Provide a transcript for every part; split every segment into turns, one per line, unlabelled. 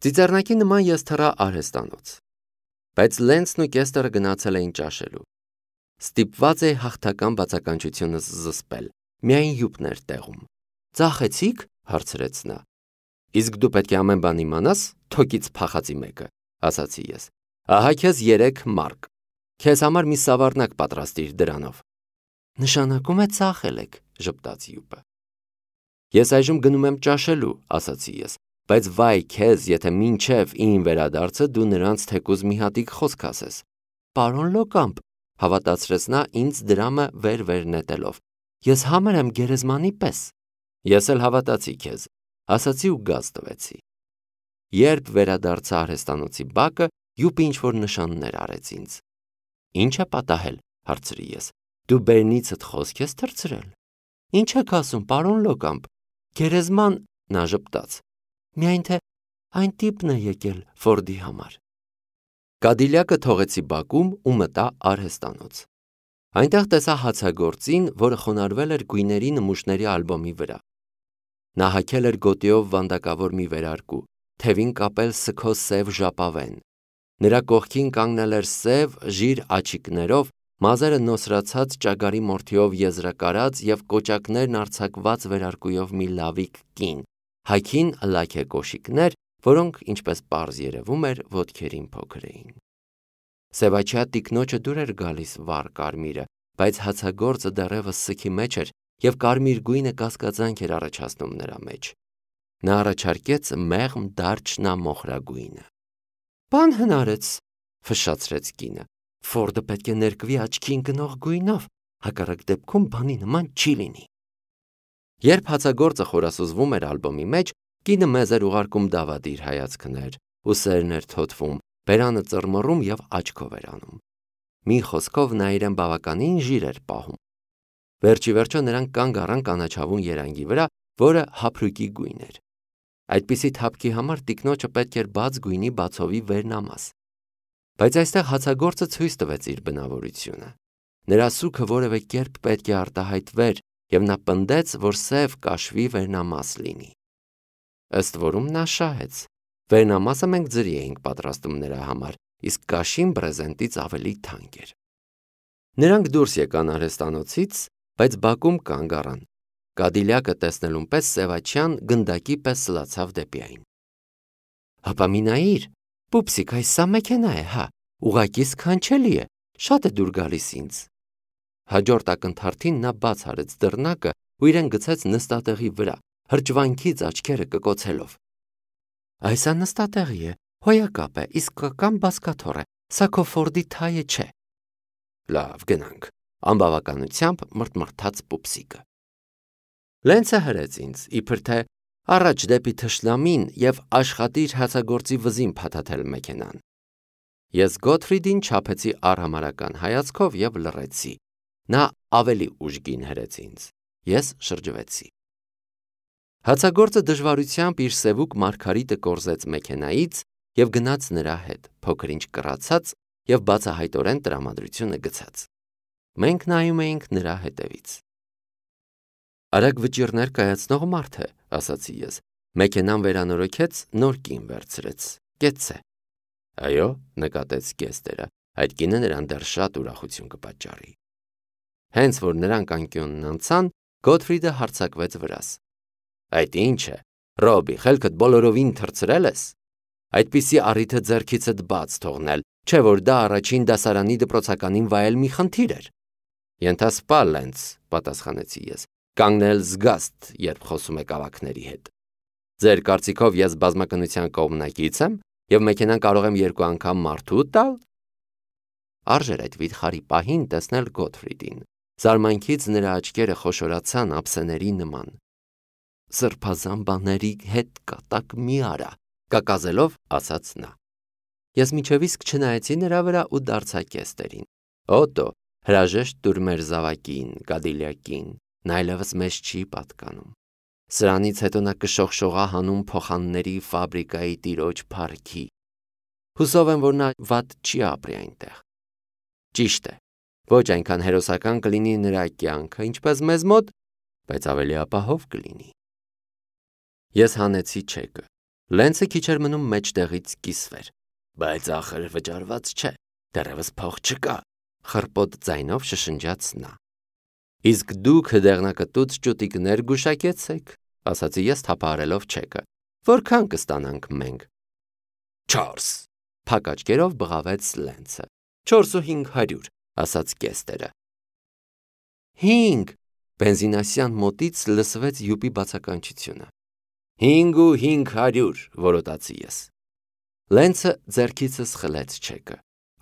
Ծիծեռնակի նման ես թռա արհեստանոց, բայց Լենցն ու Կեստրը գնացել էին ճաշելու։ Ստիպված էի հաղթական բացականչությունս զսպել, միայն յուպն էր տեղում։ Ծախեցի՞ք, հարցրեց նա։ Իսկ դու պետք է ամեն բան իմանաս, թոկից փախածի մեկը, ասացի ես։ Ահա քեզ 3 մարկ։ Քեզ համար մի սավառնակ պատրաստիր դրանով։ Նշանակում է ծախել եք, ժպտաց յուպը։ Ես այժմ գնում եմ ճաշելու, ասացի ես, բայց վայ քեզ, եթե մինչև իմ վերադարձը դու նրանց թեկուզ մի հատիկ խոսք ասես։ Պարոն Լոկամպ, հավատացրեց նա ինձ դրամը վեր նետելով։ Ես համր եմ գերեզմանի պես։ Ես էլ հավատացի քեզ, ասացի ու գազ տվեցի։ Երբ վերադարձա արհեստանոցի բակը, յուպը ինչ-որ նշաններ արեց ինձ։ Ինչ է պատահել, հարցրի ես։ Դու բերնիցդ խոսք ես թռցրել։ Ինչ եք ասում, պարոն Լոկամպ, գերեզման, նա ժպտաց։ Միայն թե այն տիպն է եկել Ֆորդի համար։ Կադիլյակը թողեցի բակում ու մտա արհեստանոց։ Այնտեղ տեսա հացագործին, որը խոնարհվել էր գույների նմուշների ալբոմի վրա։ Նա հագել էր գոտիով վանդակավոր մի վերարկու, թևին կապել սգո սև ժապավեն։ Նրա կողքին կանգնել էր սև, ժիր աչիկներով, մազերը նոսրացած ճագարի մորթիով եզրակարած եւ կոճակներն արձակված վերարկուով մի լավիկ կին, հագին լաք է կոշիկներ, որոնք, ինչպես պարզ երևում էր, ոտքերին փոքր էին։ Սևաչյա տիկնոջը դուր էր գալիս վառ կարմիրը, բայց հացագործը դեռևս սքի մեջ էր եւ կարմիր գույնը կասկածանք էր առաջացնում նրա մեջ։ Նա առաջարկեց մեղմ դարչնամոխրագույնը։ Բան հնարեց, ֆշշացրեց կինը։ Ֆորդը պետք է ներկվի աչքին գնող գույնով, հակառակ դեպքում բանի նման չի լինի։ Երբ հացագործը խորասուզվում էր ալբոմի մեջ, կինը մեզ էր ուղարկում դավադիր հայացքներ, ուսերն էր թոթվում, բերանը ծռմռում եւ աչքով էր անում։ Մի խոսքով նա իրեն բավականին ժիր էր պահում։ Վերջի վերջո նրանք կանգ առան կանաչավուն երանգի վրա, որը հափրուկի գույն էր։ Այդպիսի թափքի համար տիկնոջը պետք էր բաց գույնի բացովի վերնամաս։ Բայց այստեղ հացագործը ցույց տվեց իր բնավորությունը։ Նրա սուքը որևէ կերպ պետք է արտահայտվեր, եւ նա պնդեց, որ սև կաշվի վերնամաս լինի։ Ըստ որում նա շահեց։ Վերնամասը մենք ձրի էինք պատրաստում նրա համար, իսկ կաշին բրեզենտից ավելի թանկ էր։ Նրանք դուրս եկան արհեստանոցից, բայց բակում կանգ առան։ Կադիլյակը տեսնելուն պես Սևաչյան գնդակի պես սլացավ դեպի այն։ Հապա մի նայիր, պուպսիկ, այս սա մեքենա է, հա, ուղղակի սքանչելի է, շատ է դուր գալիս ինձ։ Հաջորդ ակնթարթին նա բաց արեց դռնակը ու իրեն գցեց նստատեղի վրա, հրճվանքից աչքերը կկոցելով։ Այսա նստատեղի է, հոյակապ է, իսկական բազկաթոռ է, սա քո Ֆորդի թայը չէ։ Լավ, գնանք, անբավականությամբ մրթմրթաց պուպսիկը։ Լենցը հրեց ինձ, իբր թե առաջ դեպի թշնամին եւ աշխատիր հացագործի վզին փաթաթել մեքենան։ Ես Գոթֆրիդին չափեցի արհամարական հայացքով եւ լռեցի։ Նա ավելի ուժգին հրեց ինձ։ Ես շրջվեցի։ Հացագործը դժվարությամբ իր սևուկ մարգարիտը կորզեց մեքենայից եւ գնաց նրա հետ, փոքր-ինչ կռացած եւ բացահայտորեն տրամադրությունը գցած։ Մենք նայում էինք նրա հետևից։ Արագ վճիրներ կայացնող մարդ է, ասացի ես։ Մեքենան վերանորոգեց, նոր կին վերցրեց։ Կեցցե։ Այո, նկատեց Կեստերը, այդ կինը նրան դեռ շատ ուրախություն կպատճառի։ Հենց որ նրանք անկյունն անցան, Գոթֆրիդը հարձակվեց վրաս։ Այդ ինչ է, Ռոբի, խելքդ բոլորովին թռցրել ես։ Այդպիսի առիթը ձեռքիցդ բաց թողնել, չէ որ դա առաջին դասարանի դպրոցականին վայել մի խնդիր էր։ Ենթասպա Լենց, պատասխանեցի ես, կանգնել զգաստ, երբ խոսում եք ավակների հետ։ Ձեր կարծիքով ես բազմականության կողմնակից եմ եւ մեքենան կարող եմ 2 անգամ մարդու տալ։ Արժեր այդ վիթխարի պահին տեսնել Գոթֆրիդին։ Զարմանքից նրա աչքերը խոշորացան ափսեների նման։ Սրբազան բաների հետ կատակ մի արա, կակազելով ասաց նա։ Ես միջև իսկ չնայեցի նրա վրա ու դարձա Կեստերին։ Օտո, հրաժեշտ տուր մեր զավակին, Կադիլյակին, նա այլևս մեզ չի պատկանում։ Սրանից հետո նա կշողշողա հանուն փոխանների ֆաբրիկայի տիրոջ փառքի։ Հուսով եմ, որ նա վատ չի ապրի այնտեղ։ Ճիշտ է, ոչ այնքան հերոսական կլինի նրա կյանքը, ինչպես մեզ մոտ, բայց ավելի ապահով կլինի։ Ես հանեցի չեկը։ Լենցը քիչ էր մնում մեջտեղից կիսվեր։ Բայց ախր վճարված չէ, դեռևս փող չկա, խռպոտ ձայնով շշնջաց նա։ Իսկ դուք դեղնակտուց ճուտիկներ գուշակեցեք, ասացի ես թափահարելով չեկը։ Որքան կստանանք մենք։ 4 Փակ աչքերով բղավեց Լենցը։ 4,500, ասաց Կեստերը։ 5 Բենզինասյան մոտից լսվեց յուպի բացականչությունը։ 5,500, որոտացի ես։ Լենցը ձեռքիցս խլեց չեկը։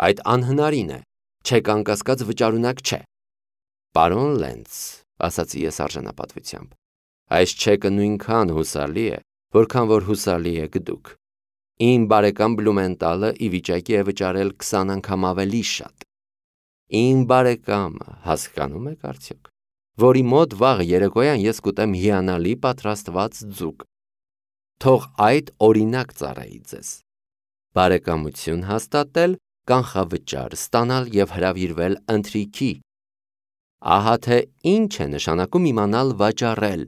Այդ անհնարին է, չեք անկասկած վճարունակ չէ։ Պարոն Լենց, ասացի ես արժանապատվությամբ, այս չեկը նույնքան հուսալի է, որքան որ հուսալի եք դուք։ Իմ բարեկամ Բլումենտալը ի վիճակի է վճարել 20 անգամ ավելի շատ։ Իմ բարեկամը, հասկանում եք արդյոք, որի մոտ վաղ երեկոյան ես կուտեմ հիանալի պատրաստված ձուկ։ Թող այդ օրինակ ծառայի ձեզ։ Բարեկամություն հաստատել, կանխավճար ստանալ և հրավիրվել ընթրիքի։ Ահա թե ինչ է նշանակում իմանալ վաճառել։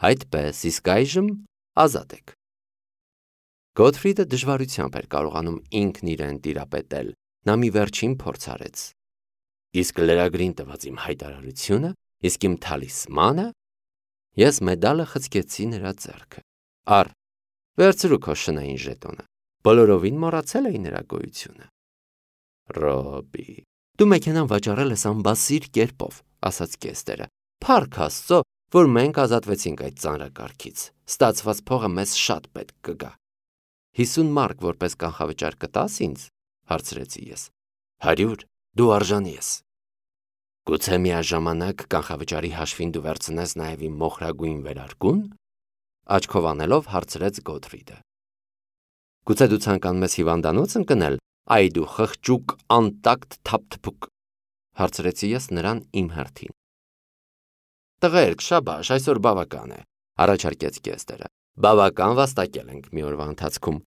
Այդպես, իսկ այժմ ազատ եք։ Գոթֆրիդը դժվարությամբ էր կարողանում ինքն իրեն տիրապետել, նա մի վերջին փորձ արեց։ Իսկ լրագրին տված իմ հայտարարությունը, իսկ իմ թալիսմանը։ Ես մեդալը խցկեցի նրա ձեռքը։ Առ, վերցրու քո շնային ժետոնը։ Բոլորովին մոռացել էի նրա գոյությունը։ Ռոբի, դու մեքենան վաճառել ես անբասիր կերպով, ասաց Կեստերը։ Փառք Աստծո, որ մենք ազատվեցինք այդ ծանրակարգից։ Ստացված փողը մեզ շատ պետք կգա։ 50 մարկ որպես կանխավճար կտաս ինձ, հարցրեցի ես։ 100, դու արժանի ես։ Գուցե միաժամանակ կանխավճարի հաշվին դու վերցնես նաև իմ մոխրագույն վերարկուն, աչքով անելով հարցրեց Գոթֆրիդը։ Գուցե դու ցանկանում ես հիվանդանոց ընկնել, այ դու խղճուկ անտակտ թափթփուկ, հարցրեցի ես նրան իմ հերթին։ Տղերք, շաբաշ, այսօր բավական է, առաջարկեց Կեստերը։ Բավական վաստակել ենք մի օրվա ընթացքում։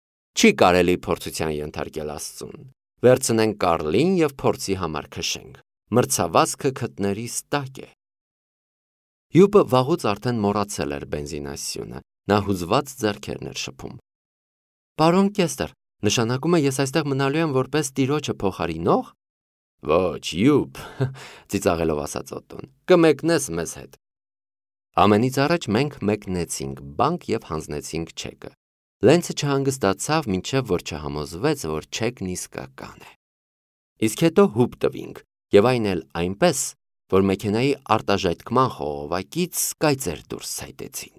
Չի կարելի փորձության ենթարկել Աստծուն։ Վերցնենք Կարլին եւ փորձի համար քշենք։ Մրցավազքը քթներիս տակ է։ Յուպը վաղուց արդեն մոռացել էր բենզինասյունը, նա հուզված ձեռքերն էր շփում։ Պարոն Կեստեր, նշանակում է ես այստեղ մնալու եմ որպես տիրոջը փոխարինող։ Ոչ, Յուպ, ծիծաղելով ասաց Օտոն, կմեկնես մեզ հետ։ Ամենից առաջ մենք մեկնեցինք բանկ եւ հանձնեցինք չեկը։ Լենցը չհանգստացավ, մինչև որ չհամոզվեց, որ չեկն իսկական է։ Իսկ հետո հուպ տվինք, եւ այն էլ այնպես, որ մեքենայի արտաժայթքման խողովակից կայծեր դուրս ցայտեցին։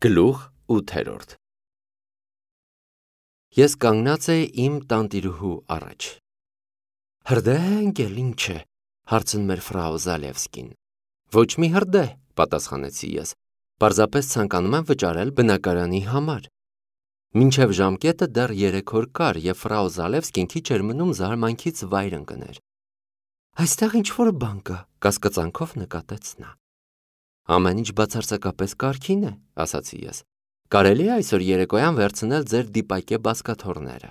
Գլուխ 8 Ես կանգնած էի իմ տանտիրուհու առաջ։ Հրդեհ էլ ինչ է, հարցնում էր ֆրау Զալևսկին։ Ոչ մի հրդեհ, պատասխանեցի ես, պարզապես ցանկանում եմ վճարել բնակարանի համար։ Մինչև ժամկետը դեռ 3 օր կար, եւ ֆրау Զալևսկին քիչ էր մնում զարմանքից վայր ընկներ։ Այստեղ ինչ-որ բան կա, կասկածանքով նկատեց նա։ Ամեն ինչ բացարձակապես կարգին է, ասացի ես։ Կարելի է այսօր երեկոյան վերցնել ձեր դիպակե բազկաթոռները։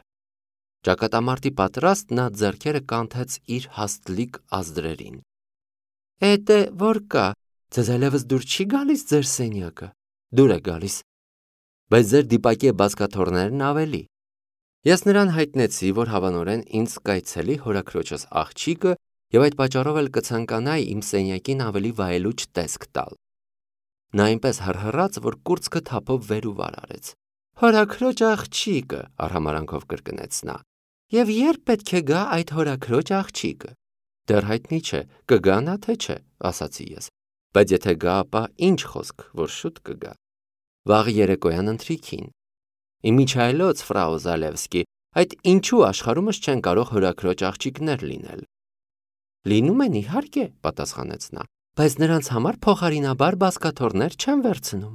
Ճակատամարտի պատրաստ նա ձեռքերը կանթեց իր հաստլիկ ազդրերին։ Էդե որ կա, ձեզ այլևս դուր չի գալիս ձեր սենյակը։ Դուր է գալիս։ Բայց ձեր դիպակե բազկաթոռներն ավելի։ Ես նրան հայտնեցի, որ հավանորեն ինձ կայցելի հորաքրոջս աղջիկը եւ այդ պատճառով էլ կցանկանայի իմ սենյակին ավելի վայելուչ տեսք տալ։ Նա այնպես հռհռաց, որ կուրծքը թափով վեր ու վար արեց։ Հորաքրոջ աղջիկը, արհամարանքով կրկնեց նա։ Եվ երբ պետք է գա այդ հորաքրոջ աղջիկը։ Դեռ հայտնի չէ, կգա նա թե չէ, ասացի ես։ Բայց եթե գա, ապա ինչ խոսք, որ շուտ կգա։ Վաղ երեկոյան ընթրիքին։ Իմիջայլոց, ֆրау Զալևսկի, այդ ինչու աշխարհումս չեն կարող հորաքրոջ աղջիկներ լինել։ Լինում են իհարկե, պատասխանեց նա, բայց նրանց համար փոխարինաբար բազկաթոռներ չեն վերցնում։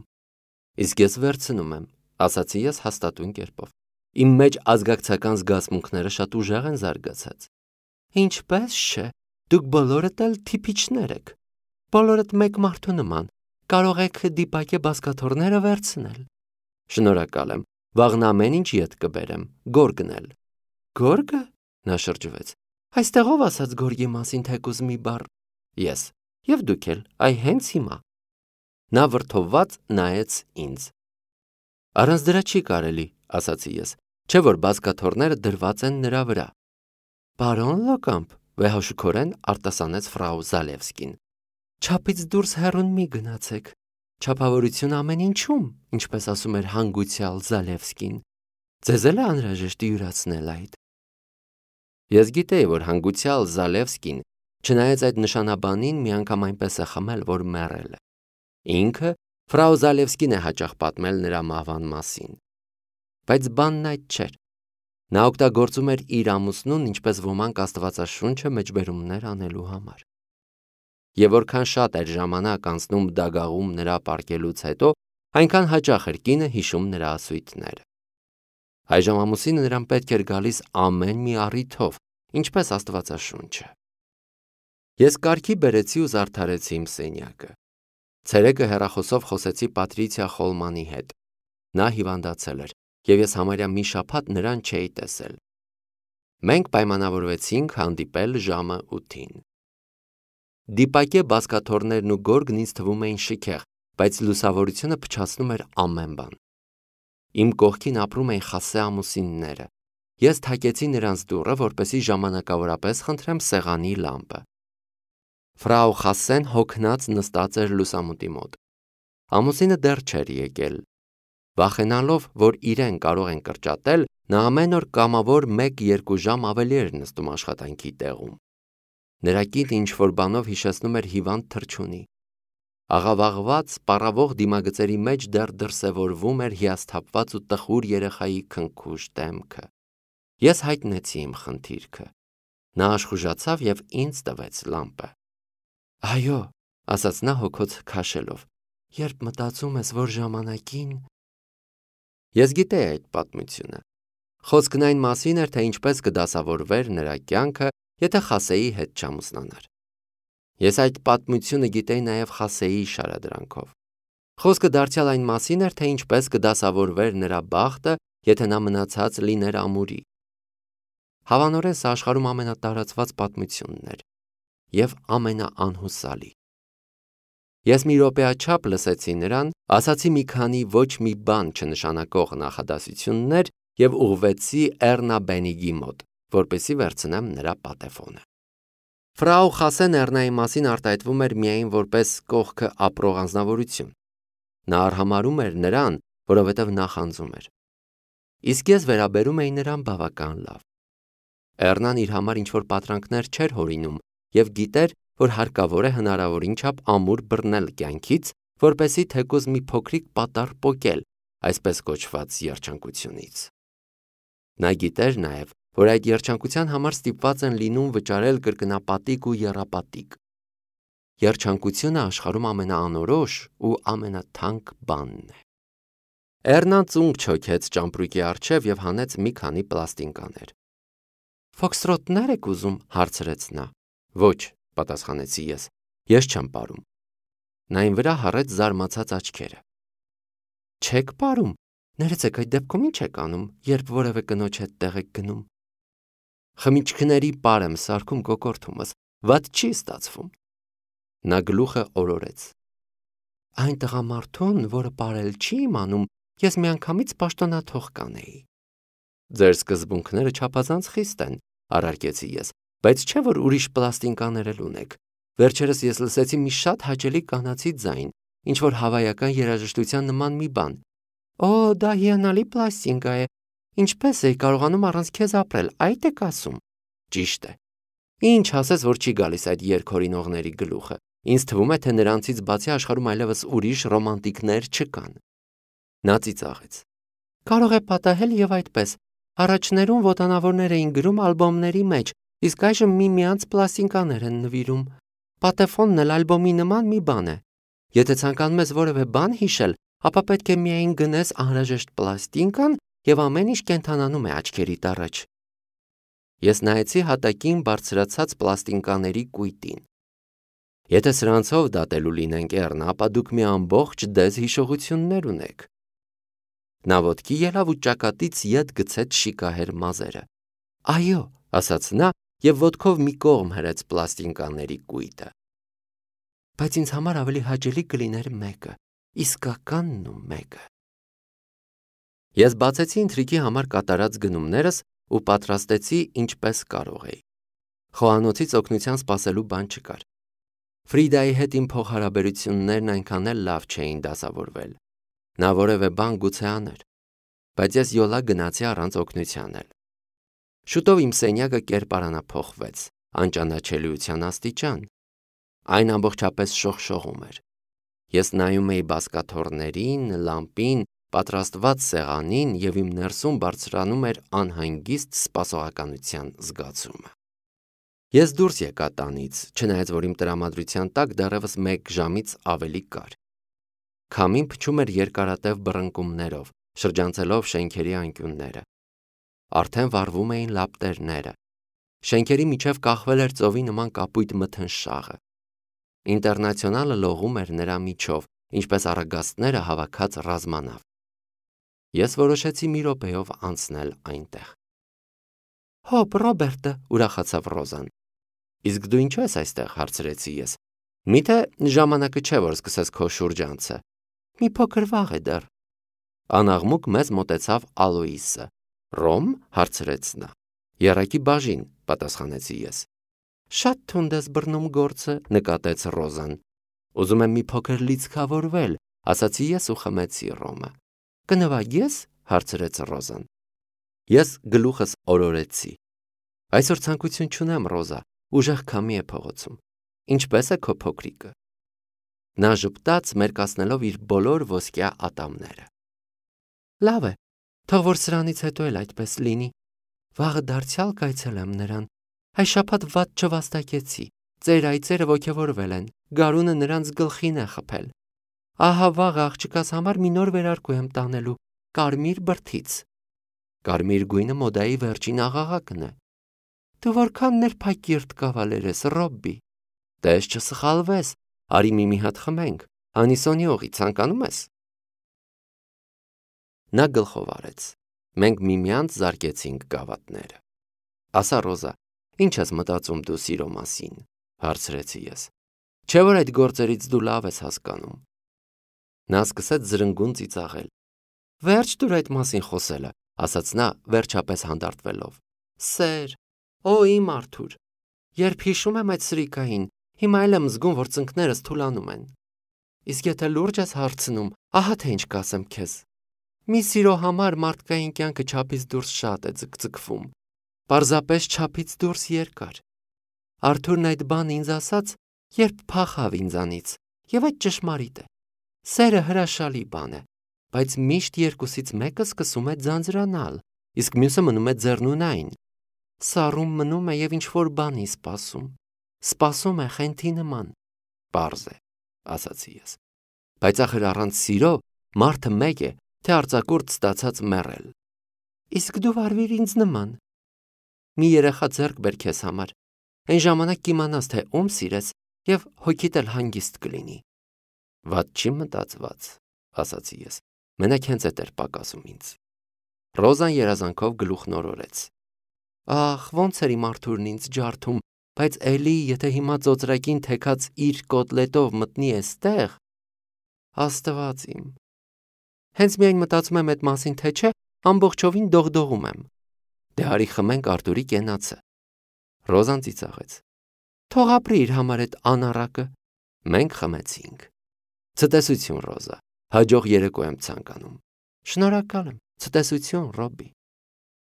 Իսկ ես վերցնում եմ, ասացի ես հաստատուն կերպով։ Իմ մեջ ազգակցական զգացմունքները շատ ուժեղ են զարգացած։ Ինչպես չէ, դուք բոլորդ էլ թիպիչներ եք։ Բոլորդ մեկ մարդու նման, կարող եք դիպակե բազկաթոռները վերցնել։ Շնորհակալ եմ, վաղն ամեն ինչ ետ կբերեմ, գորգնել։ Գորգը, նա շրջվեց։ Այստեղով ասած գորգի մասին թեկուզ մի բառ։ Ես, եւ դուք էլ, այ հենց հիմա։ Նա վրդովված նայեց ինձ։ Առանց դրա չի կարելի, ասացի ես, չէ որ բազկաթոռները դրված են նրա վրա։ Պարոն Լոկամպ, վեհաշուքորեն արտասանեց ֆրау Զալևսկին։ Չափից դուրս հեռուն մի գնացեք։ Չափավորություն ամեն ինչում, ինչպես ասում էր հանգուցյալ Զալևսկին։ Ձեզ էլ է անհրաժեշտ յուրացնել այդ։ Ես գիտեի, որ հանգուցյալ Զալևսկին, չնայած այդ նշանաբանին, մի անգամ այնպես է խմել, որ մեռել է։ Ինքը ֆրау Զալևսկին է հաճախ պատմել նրա մահվան մասին։ Բայց բանն այդ չէր։ Նա օգտագործում էր իր ամուսնուն, ինչպես ոմանք Աստվածաշունչը մեջբերումներ անելու համար։ Եվ որքան շատ էր ժամանակ անցնում դագաղում նրա պառկելուց հետո, այնքան հաճախ էր կինը հիշում նրա ասույթները։ Այժմ ամուսինը նրան պետք էր գալիս ամեն մի առիթով, ինչպես Աստվածաշունչը։ Ես կարգի բերեցի ու զարդարեցի իմ սենյակը։ Ցերեկը հեռախոսով խոսեցի Պատրիցիա Խոլմանի հետ։ Նա հիվանդացել էր, և ես համարյա մի շաբաթ նրան չէի տեսել։ Մենք պայմանավորվեցինք հանդիպել ժամը 8-ին։ Դիպակե բազկաթոռներն ու գորգն ինձ թվում էին շքեղ, բայց լուսավորությունը փչացնում էր ամեն բան։ Իմ կողքին ապրում էին Խասե ամուսինները։ Ես թակեցի նրանց դուռը, որպեսզի ժամանակավորապես խնդրեմ սեղանի լամպը։ Ֆրау Խասեն հոգնած նստած էր լուսամուտի մոտ։ Ամուսինը դեռ չէր եկել։ Վախենալով, որ իրեն կարող են կրճատել, նա ամեն օր կամավոր 1-2 ժամ ավելի էր նստում աշխատանքի տեղում։ Նրա կինը ինչ-որ բանով հիշեցնում էր հիվանդ թռչունի։ Աղավաղված, պառավող դիմագծերի մեջ դեռ դրսևորվում էր հիասթափված ու տխուր երեխայի քնքուշ դեմքը։ Ես հայտնեցի իմ խնդիրքը։ Նա աշխուժացավ և ինձ տվեց լամպը։ Այո, ասաց նա հոգոց քաշելով, երբ մտածում ես, որ ժամանակին… Ես գիտեի այդ պատմությունը։ Խոսքն այն մասին էր, թե ինչպես կդասավորվեր նրա կյանքը, եթե Խասեի հետ չամուսնանար։ Ես այդ պատմությունը գիտեի նաև Խասեի շարադրանքով։ Խոսքը դարձյալ այն մասին էր, թե ինչպես կդասավորվեր նրա բախտը, եթե նա մնացած լիներ ամուրի։ Հավանորեն սա աշխարհում ամենատարածված պատմությունն էր և ամենաանհուսալի։ Ես մի րոպեաչափ լսեցի նրան, ասացի մի քանի ոչ մի բան չնշանակող նախադասություններ և ուղղվեցի Էռնա Բենիգի մոտ, որպեսզի վերցնեմ նրա պատեֆոնը։ Ֆրау Խասեն Էռնայի մասին արտահայտվում էր միայն որպես կողքը ապրող անձնավորություն։ Նա արհամարհում էր նրան, որովհետև նախանձում էր։ Իսկ ես վերաբերում էի նրան բավական լավ։ Էռնան իր համար ինչ-որ պատրանքներ չէր հորինում և գիտեր, որ հարկավոր է հնարավորին չափ ամուր բռնել կյանքից, որպեսզի թեկուզ մի փոքրիկ պատառ պոկել, այսպես կոչված երջանկությունից։ Նա գիտեր նաև, որ այդ երջանկության համար ստիպված են լինում վճարել կրկնապատիկ ու եռապատիկ։ Երջանկությունը աշխարհում ամենաանորոշ ու ամենաթանկ բանն է։ Էռնան ծունկ չոքեց ճամպրուկի առջև և հանեց մի քանի պլաստինկաներ։ Ֆոքստրոտներ եք ուզում, հարցրեց նա։ Ոչ, պատասխանեցի ես չեմ պարում։ Նա իմ վրա հառեց զարմացած աչքերը։ Չեք պարում, ներեցեք, այդ դեպքում ինչ եք անում, երբ որևէ կնոջ հետ տեղ եք գնում։ Խմիչքների պար եմ սարքում կոկորդումս, վատ չի ստացվում։ Նա գլուխը օրորեց։ Այն տղամարդուն, որը պարել չի իմանում, ես միանգամից պաշտոնաթող կանեի։ Ձեր սկզբունքները չափազանց խիստ են, առարկեցի ես, բայց չէ որ ուրիշ պլաստինկաներ էլ ունեք։ Վերջերս ես լսեցի մի շատ հաճելի կանացի ձայն, ինչ-որ հավայական երաժշտության նման մի բան։ Օ, դա հիանալի պլաստինկա է։ Ինչպես էի կարողանում առանց քեզ ապրել, այդ եք ասում։ Ճիշտ է։ Ինչ ասես, որ չի գալիս այդ երգհորինողների գլուխը։ Ինձ թվում է, թե նրանցից բացի աշխարհում այլևս ուրիշ ռոմանտիկներ չկան։ Նա ծիծաղեց։ Կարող է պատահել և այդպես։ Առաջներում ոտանավորներ էին գրում ալբոմների մեջ, իսկ այժմ միմյանց պլաստինկաներ են նվիրում։ Պատեֆոնն էլ ալբոմի նման մի բան է։ Եթե ցանկանում ես որևէ բան հիշել, ապա պետք է միայն գնես անհրաժեշտ պլաստինկան և ամեն ինչ կենդանանում է աչքերիդ առաջ։ Ես նայեցի հատակին բարձրացած պլաստինկաների կույտին։ Եթե սրանցով դատելու լինենք Էռնա, ապա դուք մի ամբողջ դեզ հիշողություններ ունեք։ Նա ոտքի ելավ ու ճակատից ետ գցեց շիկահեր մազերը։ Այո, ասաց նա և ոտքով մի կողմ հրեց պլաստինկաների կույտը։ բայց ինձ համար ավելի հաճելի կլիներ մեկը, իսկականն ու մեկը։ Ես բացեցի ինտրիգի համար կատարած գնումներս ու պատրաստեցի ինչպես կարող էի։ Խոհանոցից օգնության սպասելու բան չկար։ Ֆրիդայի հետ իմ փոխհարաբերություններն այնքան էլ լավ չէին դասավորվել։ Նա որևէ բան գուցե աներ, բայց ես յոլա գնացի առանց օգնության էլ։ Շուտով իմ սենյակը կերպարանափոխվեց, անճանաչելիության աստիճան։ Այն ամբողջապես շողշողում էր։ Ես նայում էի բազկաթոռներին, լամպին, պատրաստված սեղանին և իմ ներսում բարձրանում էր անհանգիստ սպասողականության զգացումը։ Ես դուրս եկա տանից, չնայած որ իմ տրամադրության տակ դեռևս 1 ժամից ավելի կար։ Քամին փչում էր երկարատև բռնկումներով, շրջանցելով շենքերի անկյունները։ Արդեն վառվում էին լապտերները։ Շենքերի միջև կախվել էր ծովի նման կապույտ մթնշաղը։ Ինտերնացիոնալը լողում էր նրա միջով, ինչպես առագաստները հավաքած ռազմանավ։ Ես որոշեցի մի րոպեով անցնել այնտեղ։ «Հոպ, Ռոբերտը», ուրախացավ Ռոզան։ «Իսկ դու ինչու ես այստեղ», հարցրեցի ես։ «Միթե ժամանակը չէ, որ սկսես քո շուրջանցը։ Մի փոքր վաղ է դեռ»։ Անաղմուկ մեզ մոտեցավ Ալոիսը։ «Ռոմ», հարցրեց նա։ «Եռակի բաժին», պատասխանեցի ես։ «Շատ թունդ ես բռնում գործը», նկատեց Ռոզան։ «Ուզում եմ մի փոքր լիցքավորվել», ասացի ես ու խմեցի ռոմը։ «Կնվագես», հարցրեց Ռոզան։ Ես գլուխս օրորեցի։ «Այսօր ցանկություն չունեմ, Ռոզա, ուժեղ քամի է փողոցում։ Ինչպե՞ս է քո փոքրիկը»։ Նա ժպտաց, մերկացնելով իր բոլոր ոսկյա ատամները։ «Լավ է, թող որ սրանից հետո էլ այդպես լինի։ Վաղը դարձյալ կայցելեմ նրան։ Այս շաբաթ վատ չվաստակեցի։ Ծեր այծերը ոգևորվել են, գարունը նրանց գլխին է խփել։ Ահա վաղը աղջկաս համար մի նոր վերարկու եմ տանելու, կարմիր բրդից։ Կարմիր գույնը մոդայի վերջին աղաղակն է։ Դու որքան ներփակիրթ կավալեր ես, Ռոբբի։ Տես չսխալվես, արի մի հատ խմենք, Անիսոնի օղի ցանկանում ես։ Նա գլխով արեց։ Մենք միմյանց զարկեցինք գավաթները։ Ասա, Ռոզա, ինչ ես մտածում դու սիրո մասին, հարցրեցի ես։ Չէ՞ որ այդ գործերից դու լավ ես հասկանում։ Նա սկսեց զրնգուն ծիծաղել։ Վերջ դուր այդ մասին խոսելը, ասաց նա վերջապես հանդարտվելով։ Սեր, օ իմ Արթուր, երբ հիշում եմ այդ սրիկային, հիմա էլ եմ զգում, որ ծնկներս թուլանում են։ Իսկ եթե լուրջ ես հարցնում, ահա թե ինչ կասեմ քեզ։ Մի սիրո համար մարդկային կյանքը չափից դուրս շատ է ձգձգվում։ Պարզապես չափից դուրս երկար։ Արթուրն այդ բանը ինձ ասաց, երբ փախավ ինձանից, եւ այդ ճշմարիտ է։ Սերը հրաշալի բան է, բայց միշտ երկուսից մեկը սկսում է ձանձրանալ, իսկ մյուսը մնում է ձեռնունայն։ Սառում մնում է եւ ինչ-որ բանի սպասում։ Սպասում է խենթի նման։ Պարզ է, ասացի ես։ Բայց ախր առանց սիրո մարդը մեկ է, թե արձակուրդ ստացած մեռել։ Իսկ դու վարվիր ինձ նման։ Մի երեխա ձեռք բեր քեզ համար։ Այն ժամանակ կիմանաս, թե ում սիրես եւ հոգիդ էլ հանգիստ կլինի։ Վատ չի մտածված, ասացի ես։ Մենակ հենց էդ էր պակասում ինձ։ Ռոզան երազանքով գլուխն օրորեց։ Ախ, ոնց էր իմ Արթուրն ինձ ջարդում, բայց էլի, եթե հիմա ծոծրակին թեքած իր կոտլետով մտնի էստեղ, Աստված իմ։ Հենց միայն մտածում եմ այդ մասին, թե չէ, ամբողջովին դողդողում եմ։ Դե արի խմենք Արթուրի կենացը։ Ռոզան ծիծաղեց։ Թող ապրի իր համար այդ անառակը։ Մենք խմեցինք։ Ցտեսություն, Ռոզա։ Հաջող երեկո եմ ցանկանում։ Շնորհակալ եմ։ Ցտեսություն, Ռոբբի։